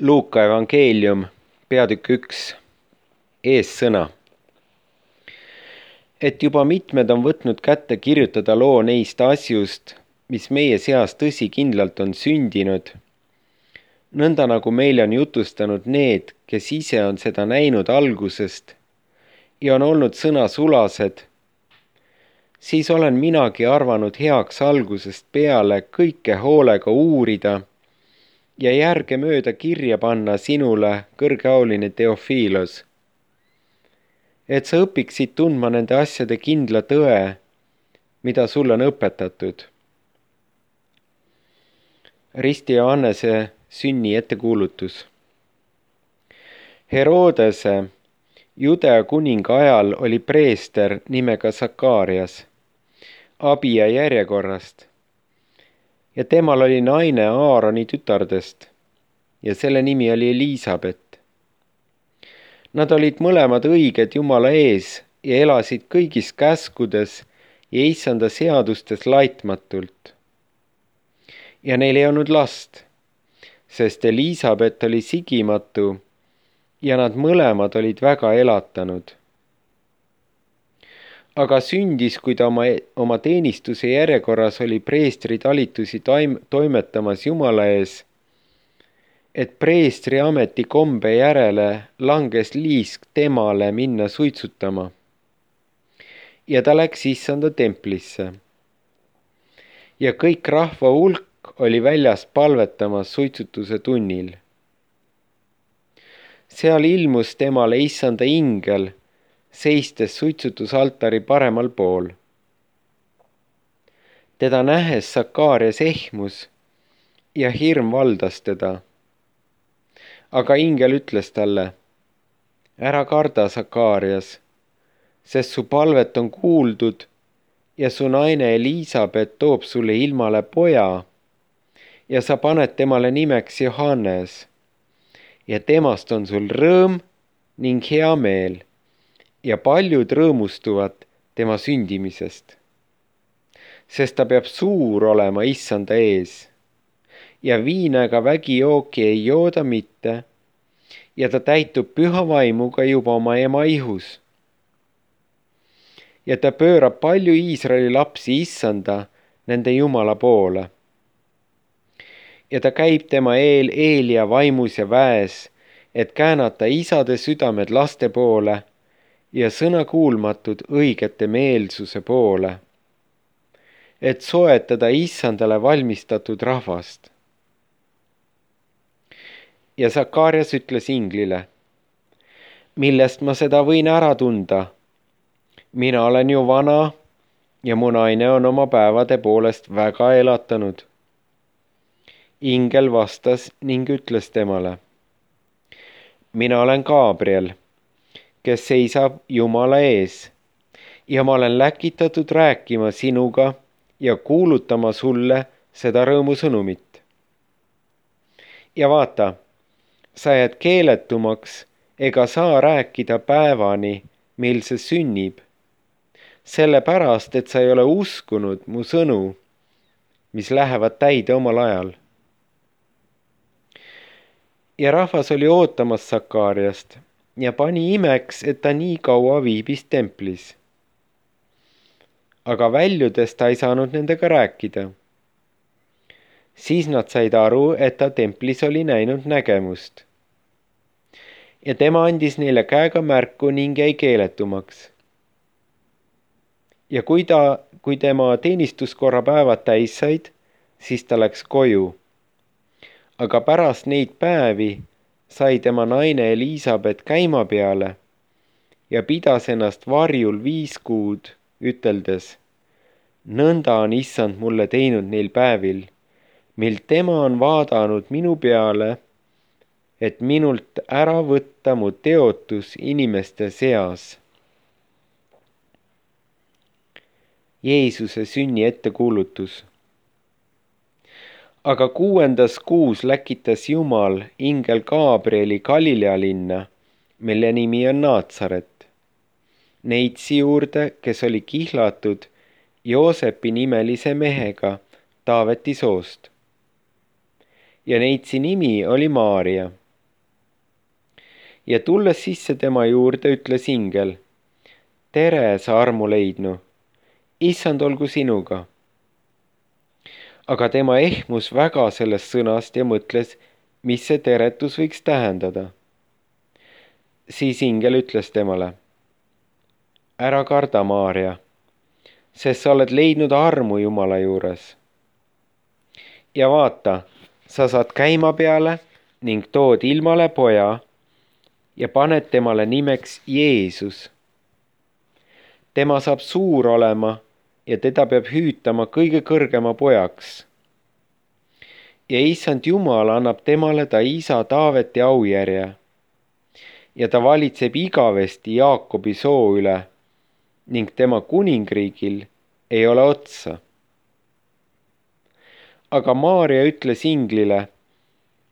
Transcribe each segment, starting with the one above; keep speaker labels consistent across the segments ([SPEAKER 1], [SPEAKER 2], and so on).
[SPEAKER 1] Luuka evangeelium, peatükk 1, eessõna. Et juba mitmed on võtnud kätte kirjutada loo neist asjust, mis meie seas tõsikindlalt on sündinud, nõnda nagu meile on jutustanud need, kes ise on seda näinud algusest ja on olnud sõnasulased, siis olen minagi arvanud heaks algusest peale kõike hoolega uurida ja järgemööda kirja panna sinule, kõrgeauline Theophilos, et sa õpiksid tundma nende asjade kindla tõe, mida sulle on õpetatud. Risti Johannese sünni ettekuulutus. Herodese, Judea kuninga ajal oli preester nimega Sakarias, Abia järjekorrast, ja temal oli naine Aaroni tütardest ja selle nimi oli Elisabet. Nad olid mõlemad õiged Jumala ees ja elasid kõigis käskudes ja issanda seadustes laitmatult. Ja neil ei olnud last, sest Elisabet oli sigimatu ja nad mõlemad olid väga elatanud. Aga sündis, kui ta oma teenistuse järjekorras oli preestri talitusi toimetamas Jumala ees, et preestri ameti kombe järele langes liisk temale minna suitsutama. Ja ta läks issanda templisse. Ja kõik rahva hulk oli väljas palvetamas suitsutuse tunnil. Seal ilmus temale issanda ingel, seistes suitsutusaltari paremal pool. Teda nähes Sakarias ehmus ja hirm valdas teda. Aga ingel ütles talle, ära karda, Sakarias, sest su palvet on kuuldud ja su naine Elisabet toob sulle ilmale poja ja sa paned temale nimeks Johannes ja temast on sul rõõm ning hea meel ja paljud rõõmustuvad tema sündimisest, sest ta peab suur olema issanda ees ja viina ega vägijooki ei jooda mitte ja ta täitub püha vaimuga juba oma ema ihus. Ja ta pöörab palju Iisraeli lapsi issanda nende Jumala poole. Ja ta käib tema Eelia vaimus ja väes, et käänata isade südamed laste poole ja sõnakuulmatud õigete meelsuse poole, et soetada issandale valmistatud rahvast. Ja Sakarias ütles inglile, millest ma seda võin ära tunda? Mina olen ju vana ja mu naine on oma päevade poolest väga elatanud. Ingel vastas ning ütles temale, mina olen Gabriel, kes seisab Jumala ees ja ma olen läkitatud rääkima sinuga ja kuulutama sulle seda rõõmusõnumit. Ja vaata, sa jääd keeletumaks ega saa rääkida päevani, mil see sünnib, sellepärast, et sa ei ole uskunud mu sõnu, mis lähevad täide omal ajal. Ja rahvas oli ootamas Sakariast ja pani imeks, et ta nii kaua viibis templis. Aga väljudes ta ei saanud nendega rääkida. Siis nad said aru, et ta templis oli näinud nägemust. Ja tema andis neile käega märku ning jäi keeletumaks. Ja kui tema teenistuskorra päevad täis said, siis ta läks koju. Aga pärast neid päevi sai tema naine Elisabet käima peale ja pidas ennast varjul 5 kuud, üteldes, nõnda on issand mulle teinud neil päevil, mil tema on vaadanud minu peale, et minult ära võtta mu teotus inimeste seas. Jeesuse sünni ettekuulutus. Aga 6. kuus läkitas Jumal ingel Gabrieli Galilea linna, mille nimi on Naatsaret, neitsi juurde, kes oli kihlatud Joosepi nimelise mehega Taaveti soost. Ja neitsi nimi oli Maaria. ja tulles sisse tema juurde, ütles ingel: tere, sa armu leidnu, issand olgu sinuga. aga tema ehmus väga sellest sõnast ja mõtles, mis see teretus võiks tähendada. siis ingel ütles temale: ära karda, Maarja, sest sa oled leidnud armu Jumala juures. ja vaata, sa saad käima peale ning tood ilmale poja ja paned temale nimeks Jeesus. tema saab suur olema ja teda peab hüütama kõige kõrgema pojaks. ja issand Jumal annab temale ta isa Taaveti aujärje ja ta valitseb igavesti Jaakobi soo üle ning tema kuningriigil ei ole otsa. aga Maarja ütles inglile: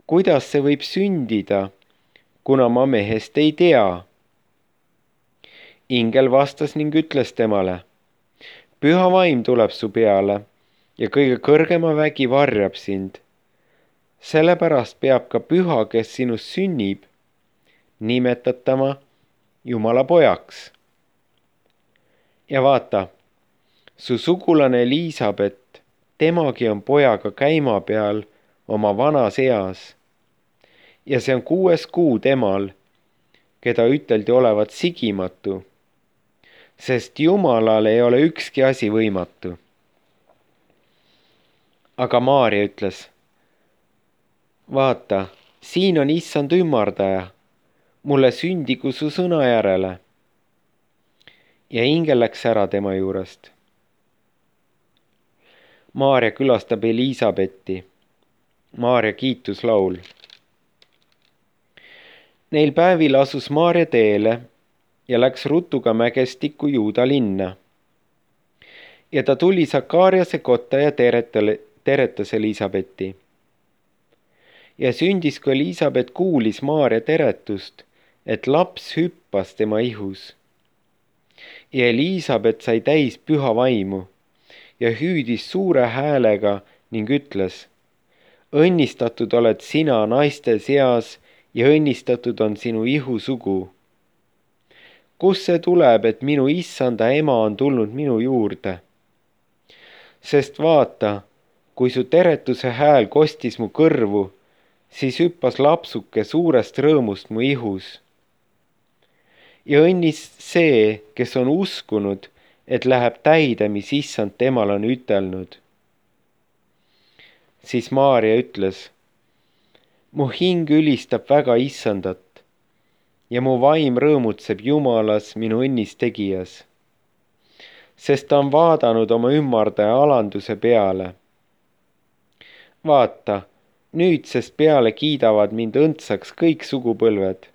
[SPEAKER 1] kuidas see võib sündida, kuna ma mehest ei tea? ingel vastas ning ütles temale: püha vaim tuleb su peale ja kõige kõrgema vägi varjab sind. sellepärast peab ka püha, kes sinust sünnib, nimetatama Jumala pojaks. ja vaata, su sugulane Elisabet, temagi on pojaga käima peal oma vanas eas ja see on 6. kuu temal, keda üteldi olevat sigimatu, sest Jumalal ei ole ükski asi võimatu. aga Maarja ütles: vaata, siin on issand ümardaja, mulle sündigu su sõna järele. ja ingel läks ära tema juurest. Maarja külastab Elisabetti. Maarja kiituslaul. Neil päevil asus Maarja teele ja läks ruttuga mägestikku Juuda linna. ja ta tuli Sakariase kotta ja teretas Elisabetti. ja sündis, kui Elisabet kuulis Maarja teretust, et laps hüppas tema ihus. ja Elisabet sai täis püha vaimu ja hüüdis suure häälega ning ütles: õnnistatud oled sina naiste seas ja õnnistatud on sinu ihu sugu. Kust see tuleb, et minu issanda ema on tulnud minu juurde? Sest vaata, kui su teretuse hääl kostis mu kõrvu, siis hüppas lapsuke suurest rõõmust mu ihus. ja õnnis see, kes on uskunud, et läheb täide, mis issand temal on ütelnud. siis Maarja ütles: mu hing ülistab väga issandat ja mu vaim rõõmutseb Jumalas, minu õnnistegijas, sest ta on vaadanud oma ümardaja alanduse peale. vaata, nüüdsest peale kiidavad mind õndsaks kõik sugupõlved,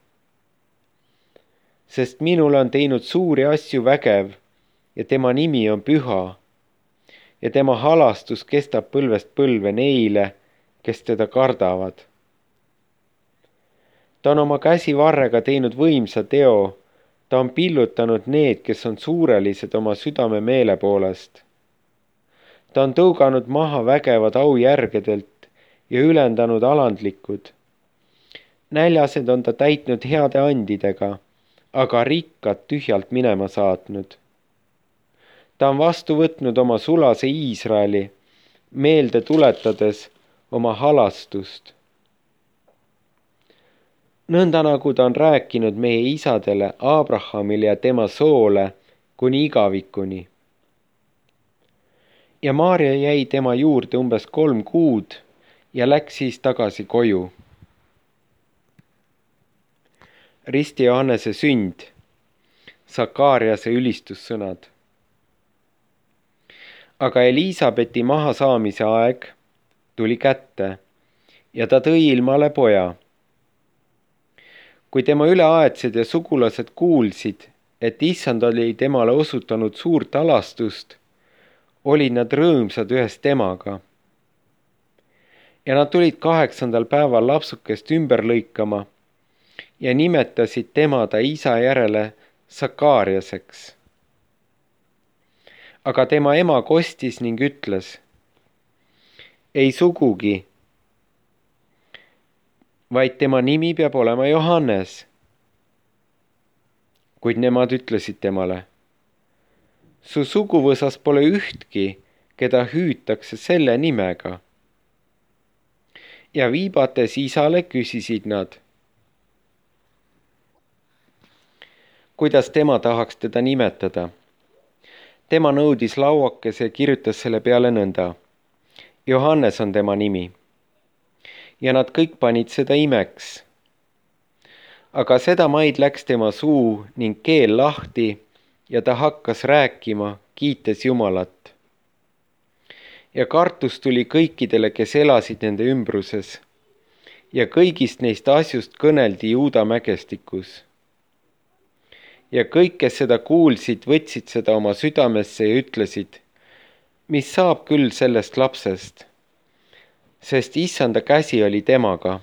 [SPEAKER 1] sest minule on teinud suuri asju vägev ja tema nimi on püha ja tema halastus kestab põlvest põlve neile, kes teda kardavad. ta on oma käsivarrega teinud võimsa teo, ta on pillutanud need, kes on suurelised oma südame meele poolest. ta on tõuganud maha vägevad aujärgedelt ja ülendanud alandlikud. näljased on ta täitnud heade andidega, aga rikkad tühjalt minema saatnud. ta on vastu võtnud oma sulase Iisraeli, meelde tuletades oma halastust. nõnda nagu ta on rääkinud meie isadele, Abrahamile ja tema soole kuni igavikuni. ja Maarja jäi tema juurde umbes 3 kuud ja läks siis tagasi koju. Risti Johannese sünd, Sakariase ülistussõnad. aga Elisabethi mahasaamise aeg tuli kätte ja ta tõi ilmale poja. kui tema üleaedsed ja sugulased kuulsid, et issand oli temale osutanud suurt alastust, olid nad rõõmsad ühes temaga. ja nad tulid 8. päeval lapsukest ümber lõikama ja nimetasid tema ta isa järele Sakariaseks. aga tema ema kostis ning ütles: ei sugugi, vaid tema nimi peab olema Johannes. kuid nemad ütlesid temale: su suguvõsas pole ühtki, keda hüütakse selle nimega. Ja viibates isale küsisid nad, kuidas tema tahaks teda nimetada. Tema nõudis lauakese ja kirjutas selle peale nõnda: Johannes on tema nimi. Ja nad kõik panid seda imeks. Aga sedamaid läks tema suu ning keel lahti ja ta hakkas rääkima, kiites Jumalat. Ja kartus tuli kõikidele, kes elasid nende ümbruses. Ja kõigist neist asjust kõneldi Juuda mägestikus. Ja kõik, kes seda kuulsid, võtsid seda oma südamesse ja ütlesid: mis saab küll sellest lapsest, sest Issanda käsi oli temaga.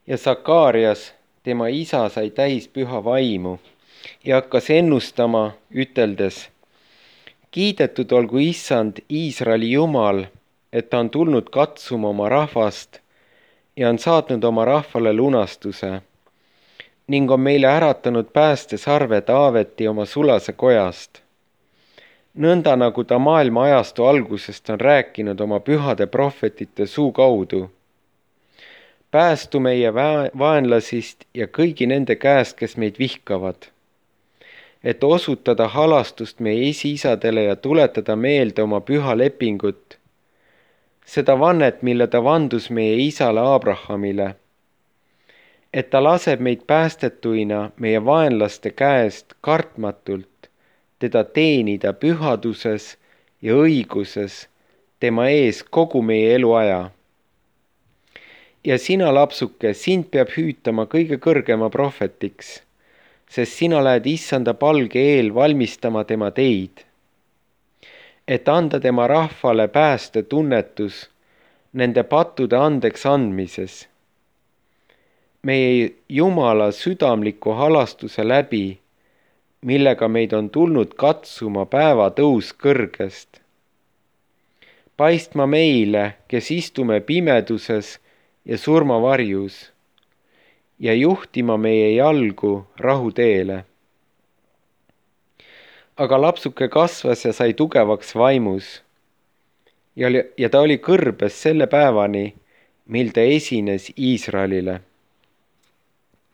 [SPEAKER 1] Ja Sakaarias, tema isa, sai täis püha vaimu ja hakkas ennustama, üteldes: kiidetud olgu Issand, Iisraeli Jumal, et ta on tulnud katsuma oma rahvast ja on saatnud oma rahvale lunastuse ning on meile äratanud päästesarve Taaveti oma sulase kojast. Nõnda nagu ta maailma ajastu algusest on rääkinud oma pühade prohvetite suu kaudu. Päästu meie vaenlasist ja kõigi nende käest, kes meid vihkavad, et osutada halastust meie esiisadele ja tuletada meelde oma püha lepingut, seda vannet, mille ta vandus meie isale Abrahamile, et ta laseb meid päästetuina meie vaenlaste käest kartmatult teda teenida pühaduses ja õiguses tema ees kogu meie eluaja. Ja sina, lapsuke, sind peab hüütama kõige kõrgema prohvetiks, sest sina lähed Issanda palge eel valmistama tema teid, et anda tema rahvale päästetunnetus nende pattude andeks andmises, meie Jumala südamliku halastuse läbi, millega meid on tulnud katsuma päevatõus kõrgest. Paistma meile, kes istume pimeduses ja surmavarjus, ja juhtima meie jalgu rahuteele. Aga lapsuke kasvas ja sai tugevaks vaimus ja ta oli kõrbes selle päevani, mil ta esines Iisraelile.